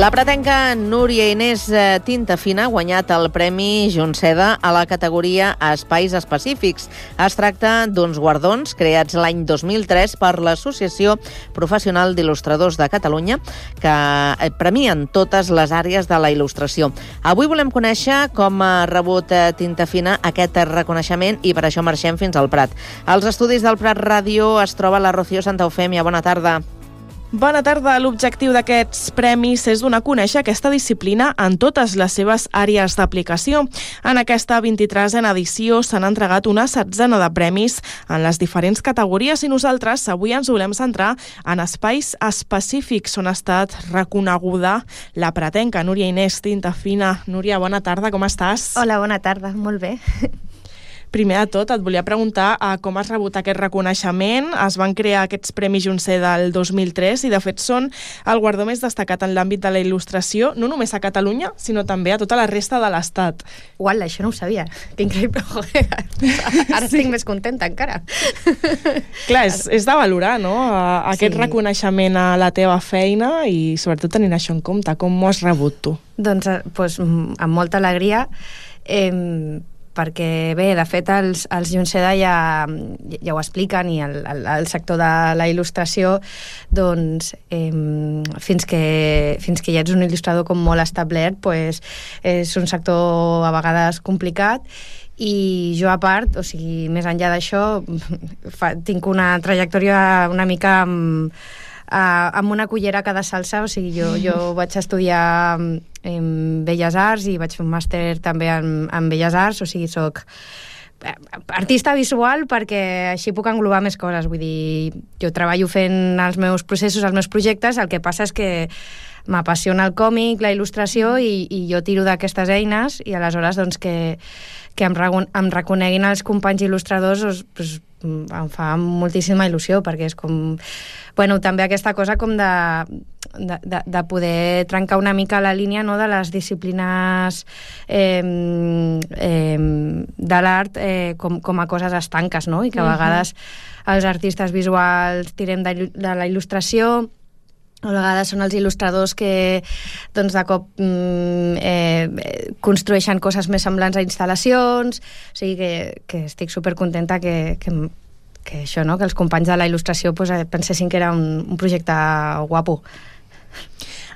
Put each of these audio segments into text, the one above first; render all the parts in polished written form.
La pretenca Núria Inés Tintafina ha guanyat el Premi Junceda a la categoria Espais Específics. Es tracta d'uns guardons creats l'any 2003 per l'Associació Professional d'Il·lustradors de Catalunya, que premien totes les àrees de la il·lustració. Avui volem conèixer com ha rebut Tintafina aquest reconeixement i per això marxem fins al Prat. Als estudis del Prat Ràdio es troba la Rocío Santaufemia. Bona tarda. Bona tarda. L'objectiu d'aquests premis és donar a conèixer aquesta disciplina en totes les seves àrees d'aplicació. En aquesta 23a edició s'han entregat una 16a de premis en les diferents categories i nosaltres avui ens volem centrar en espais específics on ha estat reconeguda la pretenca Núria Inés Tintafina. Núria, bona tarda, com estàs? Hola, bona tarda, molt bé. Primer de tot, et volia preguntar com has rebut aquest reconeixement. Es van crear aquests Premis Junceda el 2003 i, de fet, són el guardó més destacat en l'àmbit de la il·lustració, no només a Catalunya, sinó també a tota la resta de l'Estat. Uala, això no ho sabia. Que increïble. Ara estic més contenta encara. Clar, és de valorar, no?, aquest reconeixement a la teva feina i, sobretot, tenint això en compte. Com ho has rebut tu? Doncs, amb molta alegria, perquè bé, de fet els Junceda ja ho expliquen i el sector de la il·lustració doncs fins que ja ets un il·lustrador com molt establert, doncs és un sector a vegades complicat i jo a part, o sigui, més enllà d'això tinc una trajectòria una mica amb una cullera a cada salsa, o sigui, jo vaig estudiar en Belles Arts i vaig fer un màster també en Belles Arts, o sigui, soc artista visual perquè així puc englobar més coses, vull dir, jo treballo fent els meus processos, els meus projectes, el que passa és que m'apassiona el còmic, la il·lustració i jo tiro d'aquestes eines i aleshores doncs que em reconeguin els companys il·lustradors doncs, em fa moltíssima il·lusió perquè és com, bueno, també aquesta cosa com de poder trencar una mica la línia, no?, de les disciplines de l'art com a coses estanques, no?, i que a vegades els artistes visuals tirem de la il·lustració, a vegades són els il·lustradors que doncs, de cop construeixen coses més semblants a instal·lacions, o sigui que estic supercontenta que això, no?, que els companys de la il·lustració doncs, pensessin que era un projecte guapo.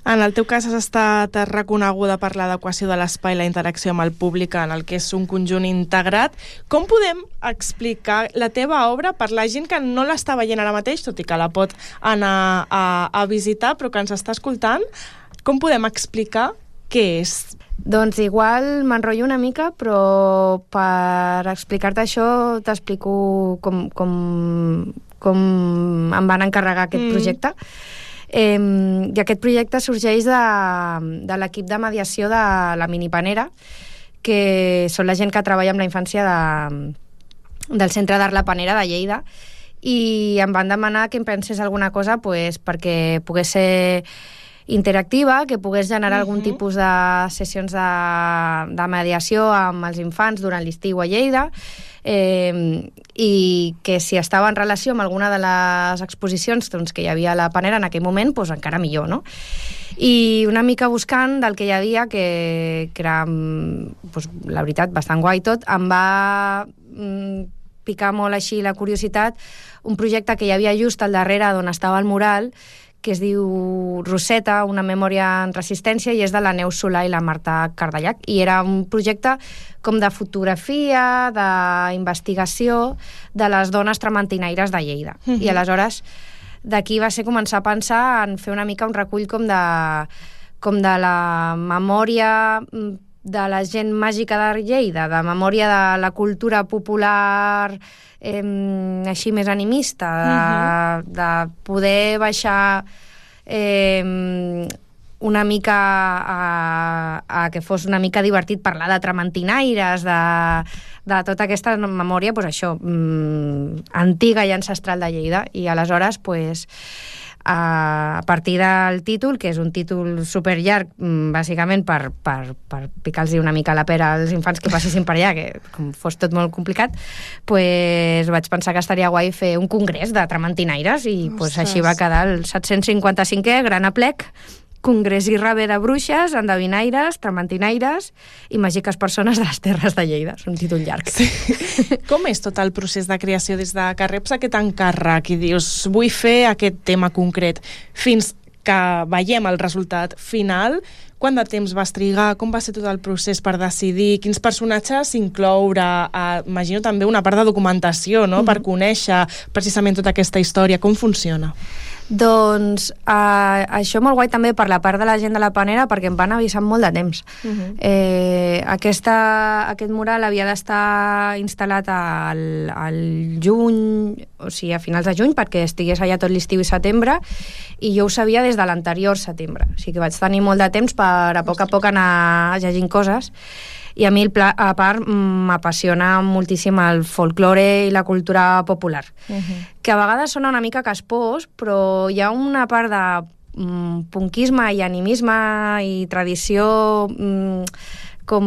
En el teu cas has estat reconeguda per l'adequació de l'espai i la interacció amb el públic en el que és un conjunt integrat. Com podem explicar la teva obra per la gent que no l'està veient ara mateix, tot i que la pot anar a visitar, però que ens està escoltant? Com podem explicar què és? Doncs igual m'enrotllo una mica, però per explicar-te això t'explico com em van encarregar aquest projecte. I aquest projecte sorgeix de l'equip de mediació de la Minipanera, que són la gent que treballa amb la infància del Centre d'Art La Panera de Lleida, i em van demanar que em pensés alguna cosa pues, perquè pogués ser interactiva, que pogués generar algun tipus de sessions de mediació amb els infants durant l'estiu a Lleida, i que si estava en relació amb alguna de les exposicions doncs, que hi havia a la Panera en aquell moment, doncs encara millor, no? I una mica buscant del que hi havia, que era, doncs, la veritat, bastant guai tot, em va picar molt així la curiositat, un projecte que hi havia just al darrere d'on estava el mural, que es diu Roseta, una memòria en resistència, i és de la Neus Solà i la Marta Cardellac. I era un projecte com de fotografia, d'investigació de les dones trementinaires de Lleida. I aleshores d'aquí va ser començar a pensar en fer una mica un recull com de la memòria de la gent màgica de Lleida, de memòria de la cultura popular així més animista, de poder baixar una mica a que fos una mica divertit parlar de trementinaires, de tota aquesta memòria, doncs això, antiga i ancestral de Lleida. I aleshores, doncs, a partir del títol, que és un títol superllarg, bàsicament per picar-los una mica la pera als infants que passessin per allà, que com fos tot molt complicat, pues vaig pensar que estaria guai fer un congrés de trementinaires i pues, així va quedar el 755è Gran Aplec congrés i rave de bruixes, endevinaires, trementinaires i màgiques persones de les terres de Lleida. És un títol llarg. Sí. Com és tot el procés de creació des de que reps aquest encàrrec i dius vull fer aquest tema concret fins que veiem el resultat final? Quant de temps vas trigar? Com va ser tot el procés per decidir quins personatges incloure? Imagino també una part de documentació, no? Per conèixer precisament tota aquesta història. Com funciona? Doncs això molt guai també per la part de la gent de la Panera, perquè em van avisar molt de temps. Aquest mural havia d'estar instal·lat al juny, o sigui a finals de juny, perquè estigués allà tot l'estiu i setembre, i jo ho sabia des de l'anterior setembre, o sigui que vaig tenir molt de temps per a poc anar llegint coses. I a mi, a part, m'apassiona moltíssim el folklore i la cultura popular, que a vegades sona una mica caspós, però hi ha una part de punquisme i animisme i tradició com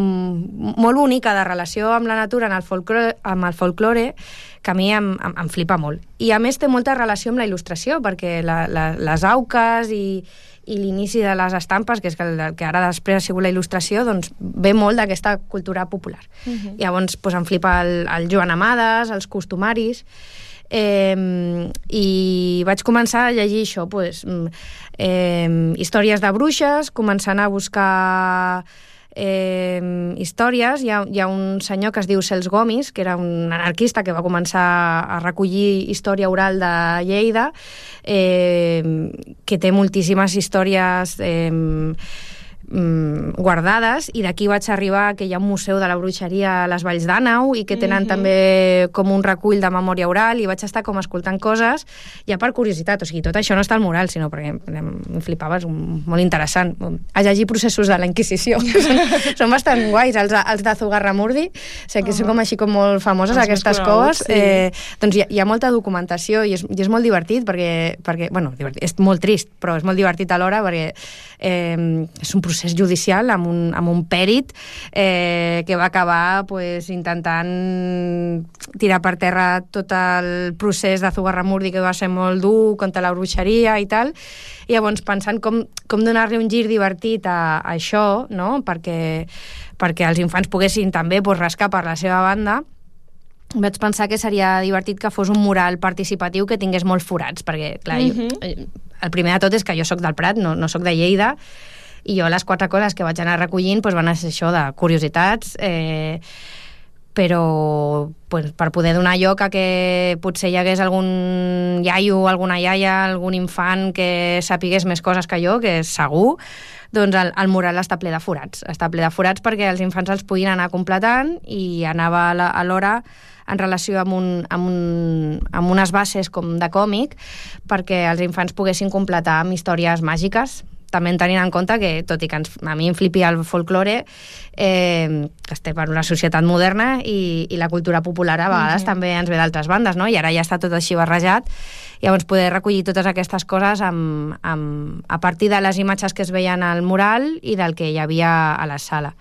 molt bonica de relació amb la natura amb el folklore, que a mi em flipa molt. I a més té molta relació amb la il·lustració, perquè les auques i l'inici de les estampes, que és el que ara després ha sigut la il·lustració, doncs ve molt d'aquesta cultura popular. Llavors em flipa el Joan Amades, els costumaris, i vaig començar a llegir això, històries de bruixes, començant a buscar històries. Hi ha un senyor que es diu Cels Gomis, que era un anarquista que va començar a recollir història oral de Lleida, que té moltíssimes històries guardades, i d'aquí vaig arribar que hi ha un museu de la bruixeria a les Valls d'Àneu i que tenen també com un recull de memòria oral, i vaig estar com escoltant coses ja per curiositat. O sigui, tot això no està al mural, sinó perquè em flipava, és molt interessant. A llegir processos de la Inquisició. Són bastant guais, els de Zugarramurdi, que són com així com molt famoses aquestes coves. Doncs hi ha molta documentació i és molt divertit perquè, bueno, és molt trist, però és molt divertit alhora perquè és un procés judicial amb un pèrit que va acabar intentant tirar per terra tot el procés de Zugarramurdi, que va ser molt dur contra la bruixeria i tal. I llavors pensant com donar-li un gir divertit a això, no? perquè els infants poguessin també rascar per la seva banda, vaig pensar que seria divertit que fos un mural participatiu que tingués molts forats, perquè clar, el primer de tot és que jo sóc del Prat, no sóc de Lleida, i jo les 4 coses que vaig anar recollint van ser això de curiositats, però per poder donar lloc a que potser hi hagués algun iaio, alguna iaia, algun infant que sapigués més coses que jo, que és segur, doncs el mural està ple de forats. Està ple de forats perquè els infants els puguin anar completant, i anava alhora en relació amb unes bases com de còmic, perquè els infants poguessin completar amb històries màgiques, també tenint en compte que, tot i que a mi em flipi el folklore, que estem en una societat moderna i la cultura popular a vegades també ens ve d'altres bandes, no? I ara ja està tot així barrejat. Llavors poder recollir totes aquestes coses a partir de les imatges que es veien al mural i del que hi havia a la sala,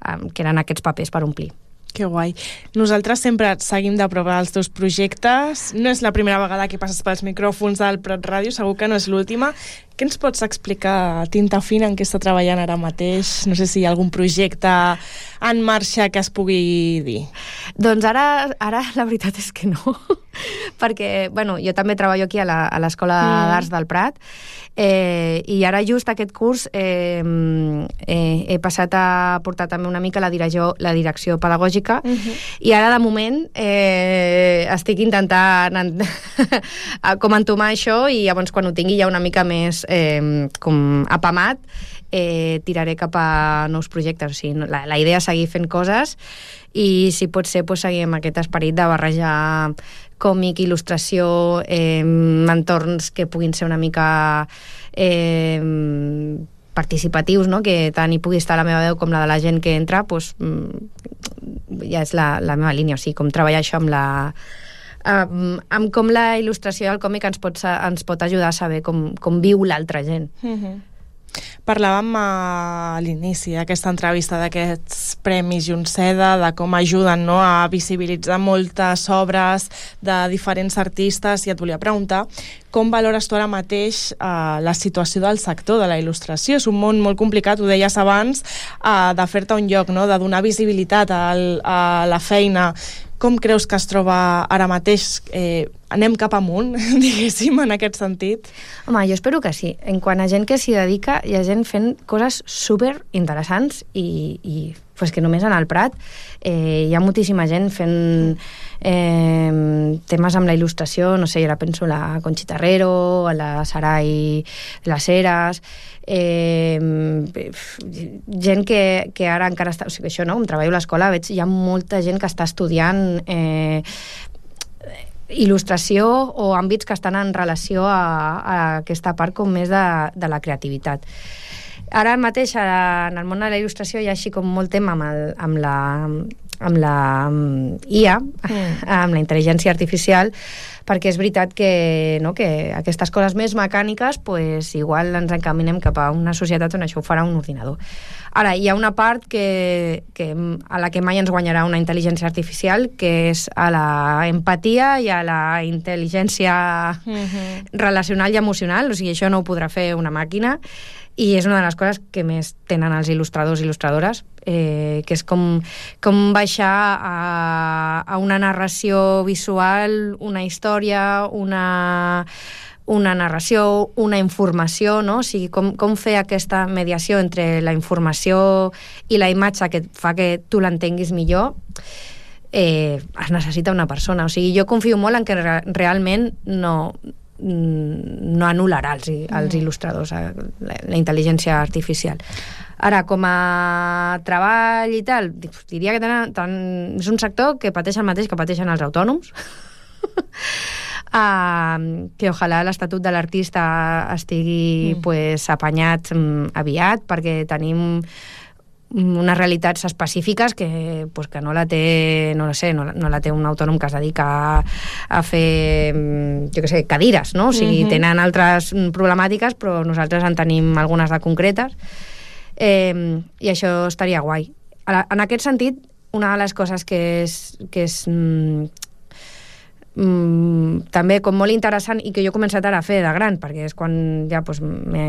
que eren aquests papers per omplir. Que guai. Nosaltres sempre et seguim de prop els teus projectes. No és la primera vegada que passes pels micròfons del Prat Ràdio, segur que no és l'última. Què ens pots explicar, Tinta Fina, en què està treballant ara mateix? No sé si hi ha algun projecte en marxa que es pugui dir. Doncs ara la veritat és que no, perquè jo també treballo aquí a l'Escola d'Arts del Prat, i ara just aquest curs he passat a portar també una mica la direcció pedagògica, i ara de moment estic intentant com entomar això, i llavors quan ho tingui ja una mica més com apamat, tiraré cap a nous projectes. O sigui, la idea és seguir fent coses, i si pot ser seguir amb aquest esperit de barrejar còmic, il·lustració, entorns que puguin ser una mica participatius, no? Que tant hi pugui estar la meva veu com la de la gent que entra, ja és la meva línia. O sigui, com treballar això amb com la il·lustració del còmic ens pot ajudar a saber com viu l'altra gent. Parlàvem a l'inici d'aquesta entrevista d'aquests Premis Junceda, de com ajuden, no?, a visibilitzar moltes obres de diferents artistes, i et volia preguntar com valores tu ara mateix la situació del sector de la il·lustració. És un món molt complicat, ho deies abans, de fer-te un lloc, no?, de donar visibilitat a la feina. Com creus que es troba ara mateix? Anem cap amunt, diguéssim, en aquest sentit? Home, jo espero que sí. En quant a gent que s'hi dedica, hi ha gent fent coses super interessants i pues que només en el Prat hi ha moltíssima gent fent temes amb la il·lustració. No sé, jo ara penso a la Conxita Herrero, a la Sarai de les Heras, gent que ara encara està... O sigui, això, no? Em treballo a l'escola, veig, hi ha molta gent que està estudiant il·lustració o àmbits que estan en relació a aquesta part com més de la creativitat. Ara mateix en el món de la il·lustració hi ha així com molt tema amb la IA, amb la intel·ligència artificial, perquè és veritat que aquestes coses més mecàniques pues, igual ens encaminem cap a una societat on això ho farà un ordinador. Ara, hi ha una part a la que mai ens guanyarà una intel·ligència artificial, que és a la empatia i a la intel·ligència relacional i emocional. O sigui, això no ho podrà fer una màquina, i és una de les coses que més tenen els il·lustradors i il·lustradores, que és com baixar a una narració visual, una història, una narració, una informació, no? O sigui, com fer aquesta mediació entre la informació i la imatge que fa que tu l'entenguis millor, es necessita una persona. O sigui, jo confio molt en que realment no anul·larà els il·lustradors, la intel·ligència artificial. Ara, com a treball i tal, diria que és un sector que pateix el mateix que pateixen els autònoms, que ojalà l'Estatut de l'Artista estigui apanyat aviat, perquè tenim unes realitats específiques que no la té, no la té un autònom que es dedica a fer, jo què sé, cadires, no? O sigui, tenen altres problemàtiques, però nosaltres en tenim algunes de concretes, i això estaria guai. En aquest sentit, una de les coses que és també com molt interessant i que jo he començat ara a fer de gran, perquè és quan ja m'he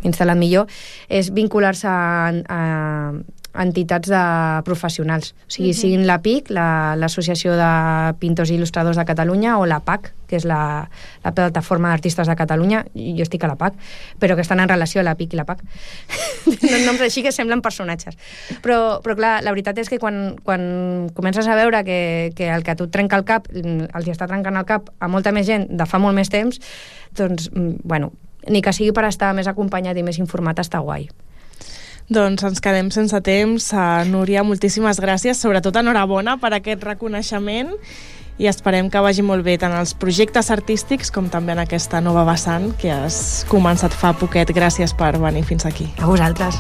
instal·lat millor, és vincular-se a entitats de professionals. O sigui, siguin la PIC, l'Associació de Pintors i Il·lustradors de Catalunya, o la PAC, que és la Plataforma d'Artistes de Catalunya. Jo estic a la PAC, però que estan en relació a la PIC i la PAC. Noms així que semblen personatges. Però clar, la veritat és que quan comences a veure que el que a tu et trenca el cap, els està trencant el cap a molta més gent de fa molt més temps, doncs, bueno, ni que sigui per estar més acompanyat i més informat, està guai. Doncs ens quedem sense temps. Núria, moltíssimes gràcies, sobretot enhorabona per aquest reconeixement, i esperem que vagi molt bé tant els projectes artístics com també en aquesta nova vessant que has començat fa poquet. Gràcies per venir fins aquí. A vosaltres.